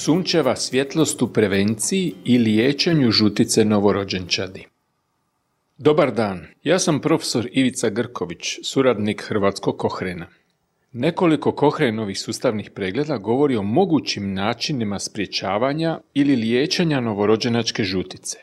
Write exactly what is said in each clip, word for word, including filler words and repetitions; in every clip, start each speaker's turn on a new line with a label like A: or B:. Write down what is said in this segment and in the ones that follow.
A: Sunčeva svjetlost u prevenciji i liječenju žutice novorođenčadi. Dobar dan, ja sam profesor Ivica Grković, suradnik Hrvatskog Kohrena. Nekoliko Kohrenovih sustavnih pregleda govori o mogućim načinima sprječavanja ili liječenja novorođenačke žutice.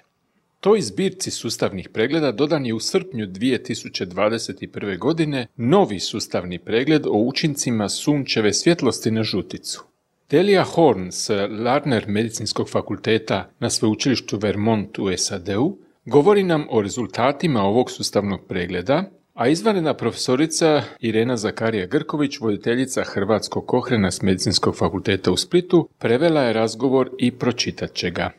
A: Toj zbirci sustavnih pregleda dodan je u srpnju dvije tisuće dvadeset prve. godine novi sustavni pregled o učincima sunčeve svjetlosti na žuticu. Delia Horn s Larner medicinskog fakulteta na sveučilištu Vermont u S A D-u govori nam o rezultatima ovog sustavnog pregleda, a izvanredna profesorica Irena Zakarija Grković, voditeljica Hrvatskog Kohrena s medicinskog fakulteta u Splitu, prevela je razgovor i pročitat će ga.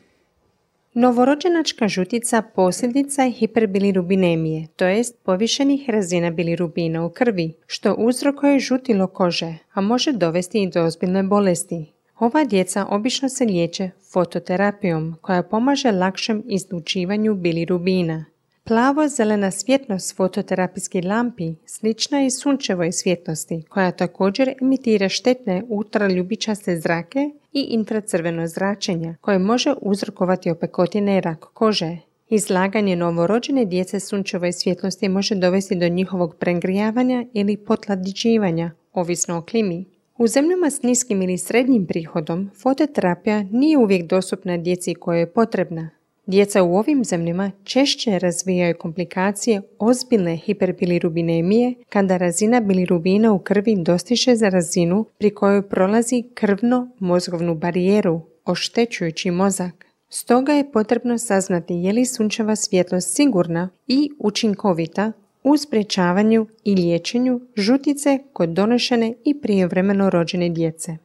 B: Novorođenačka žutica posljedica je hiperbilirubinemije, to jest povišenih razina bilirubina u krvi, što uzrokuje žutilo kože, a može dovesti i do ozbiljne bolesti. Ova djeca obično se liječe fototerapijom, koja pomaže lakšem izlučivanju bilirubina. Plavo-zelena svjetlost fototerapijskih lampi slična je sunčevoj svjetlosti, koja također emitira štetne ultraljubičaste zrake i infracrveno zračenja, koje može uzrokovati opekotine i rak kože. Izlaganje novorođene djece sunčevoj svjetlosti može dovesti do njihovog pregrijavanja ili potlađivanja, ovisno o klimi. U zemljama s niskim ili srednjim prihodom, fototerapija nije uvijek dostupna djeci kojoj je potrebna. Djeca u ovim zemljama češće razvijaju komplikacije ozbiljne hiperbilirubinemije kada razina bilirubina u krvi dostiže za razinu pri kojoj prolazi krvno-mozgovnu barijeru, oštećujući mozak. Stoga je potrebno saznati je li sunčeva svjetlost sigurna i učinkovita u sprječavanju i liječenju žutice kod donošene i prijevremeno rođene djece.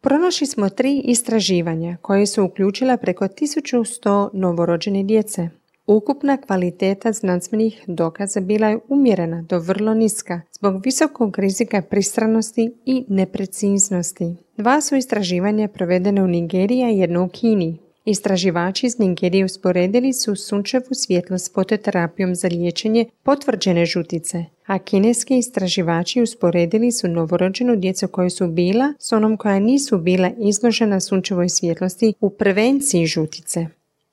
B: Pronašli smo tri istraživanja koje su uključila preko tisuću sto novorođene djece. Ukupna kvaliteta znanstvenih dokaza bila je umjerena do vrlo niska zbog visokog rizika pristranosti i nepreciznosti. Dva su istraživanja provedene u Nigeriji, a jedno u Kini. Istraživači iz Nigerije usporedili su sunčevu svjetlost s fototerapijom za liječenje potvrđene žutice, a kineski istraživači usporedili su novorođenu djecu koja su bila s onom koja nisu bila izložena sunčevoj svjetlosti u prevenciji žutice.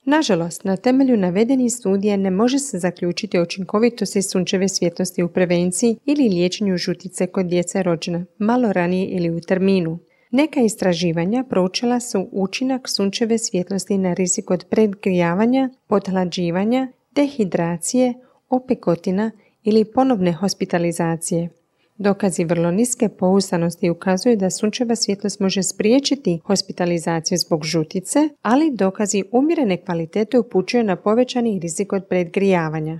B: Nažalost, na temelju navedenih studija ne može se zaključiti o učinkovitosti sunčeve svjetlosti u prevenciji ili liječenju žutice kod djece rođena malo ranije ili u terminu. Neka istraživanja proučila su učinak sunčeve svjetlosti na rizik od predgrijavanja, pothlađivanja, dehidracije, opekotina ili ponovne hospitalizacije. Dokazi vrlo niske pouzdanosti ukazuju da sunčeva svjetlost može spriječiti hospitalizaciju zbog žutice, ali dokazi umjerene kvalitete upućuju na povećani rizik od predgrijavanja.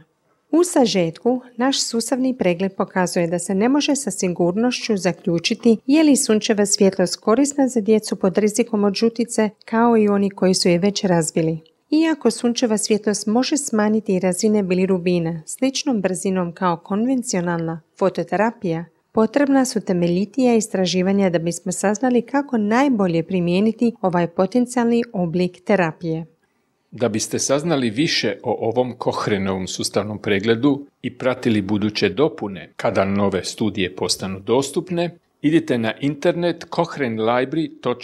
B: U sažetku, naš sustavni pregled pokazuje da se ne može sa sigurnošću zaključiti je li sunčeva svjetlost korisna za djecu pod rizikom od žutice kao i oni koji su je već razvili. Iako sunčeva svjetlost može smanjiti razine bilirubina sličnom brzinom kao konvencionalna fototerapija, potrebna su temeljitija istraživanja da bismo saznali kako najbolje primijeniti ovaj potencijalni oblik terapije.
A: Da biste saznali više o ovom Kohrenovom sustavnom pregledu i pratili buduće dopune kada nove studije postanu dostupne, idite na internet kohren library dot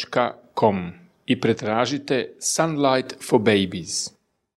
A: com i pretražite Sunlight for Babies.